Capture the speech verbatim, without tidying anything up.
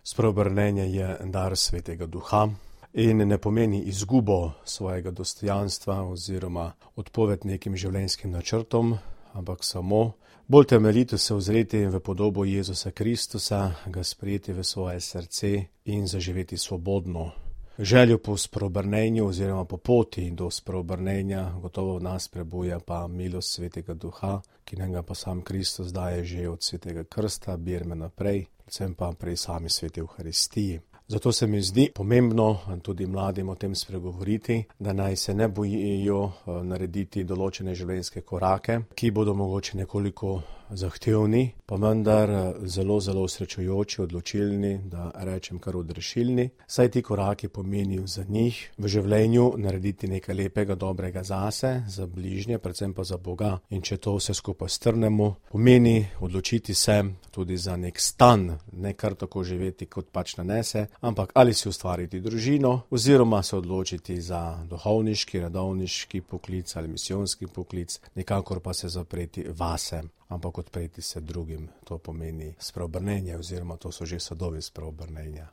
Spreobrnenje je dar Svetega Duha in ne pomeni izgubo svojega dostojanstva oziroma odpoved nekim življenjskim načrtom, ampak samo bolj temeljito se ozreti v podobo Jezusa Kristusa, ga sprejeti v svoje srce in zaživeti svobodno. Željo po spreobrnenju oziroma po poti do spreobrnenja gotovo v nas prebuja pa milost Svetega Duha, ki nam ga pa sam Kristus daje že od Svetega krsta, birme naprej, predvsem pa pri sami Sveti Evharistiji. Zato se mi zdi pomembno tudi mladim o tem spregovoriti, da naj se ne bojijo narediti določene življenjske korake, ki bodo mogoče nekoliko zahtevni, pa vendar zelo, zelo srečujoči, odločilni, da rečem kar odrešilni. Saj ti koraki pomenijo za njih v življenju narediti nekaj lepega, dobrega zase, za bližnje, predvsem pa za Boga. In če to vse skupaj strnemo, pomeni odločiti se tudi za nek stan, ne kar tako živeti, kot pač nanese, ampak ali si ustvariti družino, oziroma se odločiti za duhovniški, redovniški poklic ali misijonski poklic, nikakor pa se zapreti vase, ampak odpreti se drugim. To pomeni spreobrnenje oziroma to so že sadovi spreobrnenja.